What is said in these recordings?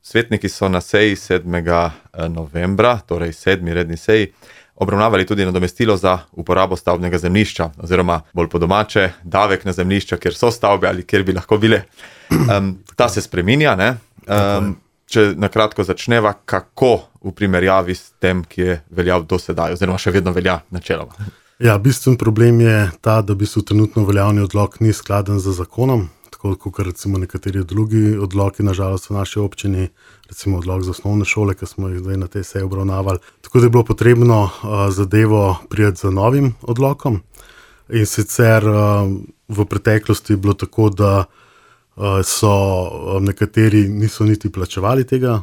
Svetniki so na seji 7. novembra, torej 7. redni seji, obravnavali tudi nadomestilo za uporabo stavbnega zemljišča, oziroma bolj po domače, davek na zemljišča, kjer so stavbe ali kjer bi lahko bile. Ta se spreminja, ne? Če na kratko začneva, kako v primerjavi s tem, ki je veljal do sedaj, oziroma še vedno velja načeloma. Ja, bistven problem je ta, da trenutno veljavni odlok ni skladen z zakonom, tako kot recimo nekateri drugi odloki, nažalost v naši občini, recimo odlok za osnovne šole, ki smo jih zdaj na tej seji obravnavali. Tako da je bilo potrebno zadevo prijeti z novim odlokom. In sicer v preteklosti je bilo tako, da so nekateri niso niti plačevali tega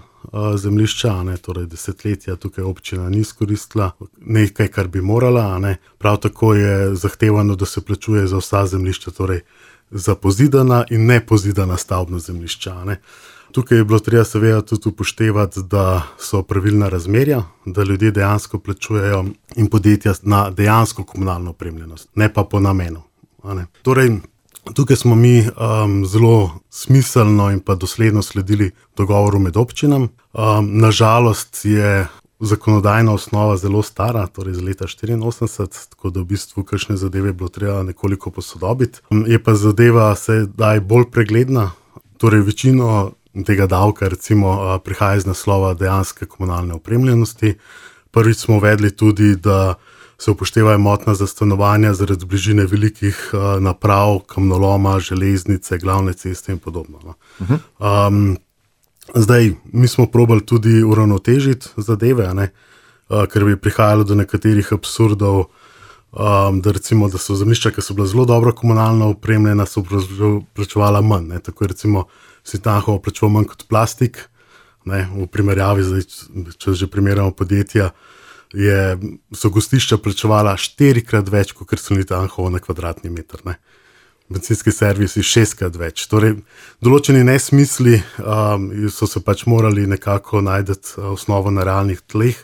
zemljišča, torej desetletja tukaj občina ni izkoristila nekaj, kar bi morala. Prav tako je zahtevano, da se plačuje za vsa zemljišča, torej za pozidana in nepozidana stavbna zemljišča. Tukaj je bilo treba seveda tudi upoštevati, da so pravilna razmerja, da ljudje dejansko plačujejo in podjetja na dejansko komunalno opremljenost, ne pa po namenu. Torej, tukaj smo mi zelo smiselno in pa dosledno sledili dogovoru med občinam. Nažalost je zakonodajna osnova zelo stara, torej iz leta 1984, tako da v bistvu kakšne zadeve je bilo treba nekoliko posodobiti. Je pa zadeva sedaj bolj pregledna, torej večino tega davka recimo prihaja iz naslova dejanske komunalne opremljenosti. Prvič smo uvedli tudi, da se upoštevajo motna za stanovanja zaradi bližine velikih naprav, kamnoloma, železnice, glavne ceste in podobno. Zdaj, mi smo probali tudi uravnotežiti zadeve, ker bi prihajalo do nekaterih absurdov, da recimo, da so zemljišča, ki so bila zelo dobro komunalno opremljena, so plačevala manj. Tako je recimo Anhovo plačeval manj kot Plastik, v primerjavi, zdaj, če že primerjamo podjetja, so gostišča plačevala 4-krat več, kot so Anhovo na kvadratni meter. Bencinski servisi 6-krat več. Torej, določeni nesmisli so se pač morali nekako najti osnovo na realnih tleh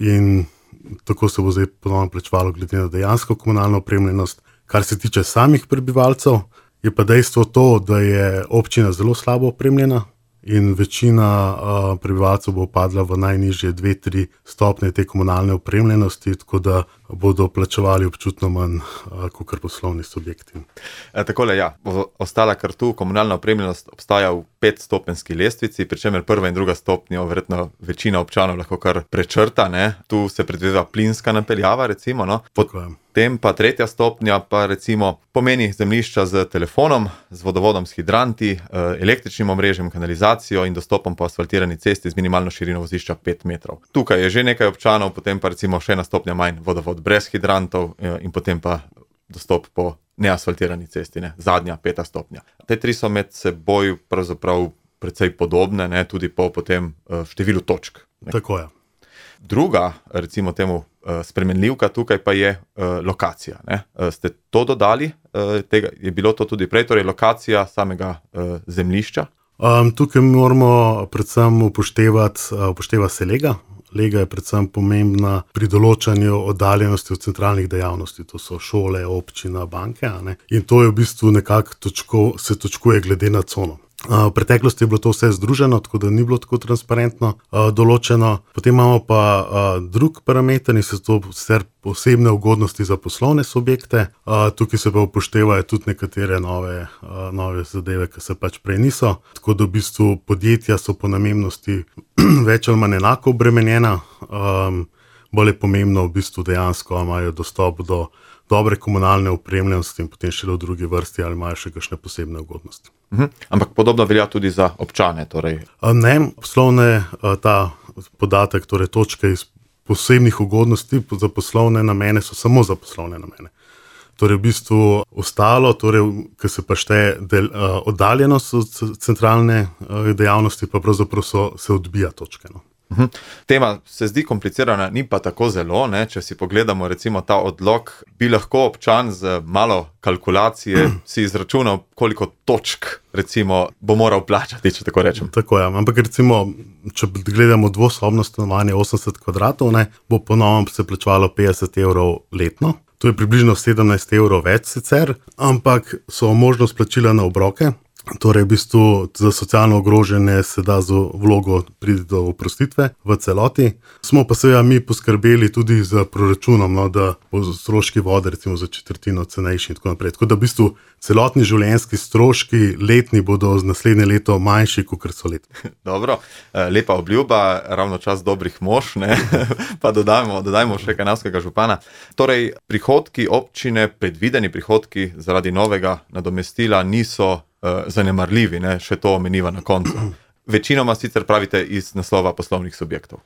in tako se bo zdaj ponovno plačevalo glede na dejansko komunalno opremljenost. Kar se tiče samih prebivalcev, je pa dejstvo to, da je občina zelo slabo opremljena in večina prebivalcev bo padla v najnižje 2-3 stopnje te komunalne opremljenosti, tako da bodo plačevali občutno manj kot poslovni subjekti. Takole, ja, ostala kar tu, komunalna opremljenost obstaja v 5-stopenjski lestvici, pri čemer prva in druga stopnja verjetno večina občanov lahko kar prečrta, Tu se predvideva plinska napeljava, recimo, Potem pa tretja stopnja pa recimo pomeni zemljišča z telefonom, z vodovodom, s hidranti, električnim omrežjem, kanalizacijo in dostopom po asfaltirani cesti z minimalno širino vozišča 5 metrov. Tukaj je že nekaj občanov, potem pa recimo še ena stopnja manj, vodovod brez hidrantov in potem pa dostop po neasfaltirani cesti, zadnja 5. stopnja. Te tri so med seboj pravzaprav precej podobne, tudi po potem številu točk. Tako je. Druga, recimo temu, spremenljivka tukaj pa je lokacija. Ste to dodali? Je bilo to tudi prej, torej lokacija samega zemljišča? Tukaj moramo predvsem upošteva se lega. Lega je predvsem pomembna pri določanju oddaljenosti od centralnih dejavnosti, to so šole, občina, banke, in to je v bistvu nekako se točkuje glede na cono. V preteklosti je bilo to vse združeno, tako da ni bilo tako transparentno določeno. Potem imamo pa drug parameter in so to posebne ugodnosti za poslovne subjekte. Tukaj se pa upoštevajo tudi nekatere nove zadeve, ki se pač prej niso. Tako da v bistvu podjetja so po namembnosti več ali manj enako obremenjena. Bolj je pomembno v bistvu dejansko, imajo dostop do dobre komunalne opremljenosti in potem še v drugi vrsti ali imajo še kakšne posebne ugodnosti. Ampak podobno velja tudi za občane? Torej. Ne, poslovne ta podatek, torej točke iz posebnih ugodnosti za poslovne namene so samo za poslovne namene. Torej v bistvu ostalo, ki se pa šteje oddaljenost od centralne dejavnosti, pa pravzaprav se odbija točke. Tema se zdi komplicirana, ni pa tako zelo, če si pogledamo recimo ta odlok, bi lahko občan z malo kalkulacije si izračunal, koliko točk recimo bo moral plačati, če tako rečem. Tako je, ampak recimo, če gledamo dvosobno stanovanje 80 kvadratov, bo po novem se plačevalo 50 evrov letno. To je približno 17 evrov več sicer, ampak so možnost plačila na obroke. Torej, v bistvu za socialno ogrožene se da z vlogo priti do oprostitve v celoti. Smo pa seveda mi poskrbeli tudi za proračunom, no, da bo stroški vode recimo za četrtino cenejši in tako naprej. Tako da v bistvu celotni življenjski stroški letni bodo z naslednje leto manjši, kot so letni. Dobro, lepa obljuba, ravno čas dobrih mož, ne? Pa dodajmo še kanalskega župana. Torej, prihodki občine, predvideni prihodki zaradi novega nadomestila niso zanemarljivi, ne? Še to omeniva na koncu. Večinoma sicer pravite iz naslova poslovnih subjektov.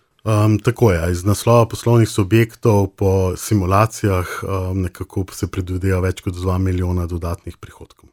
Tako je, iz naslova poslovnih subjektov po simulacijah nekako se predvideva več kot 2 milijona dodatnih prihodkov.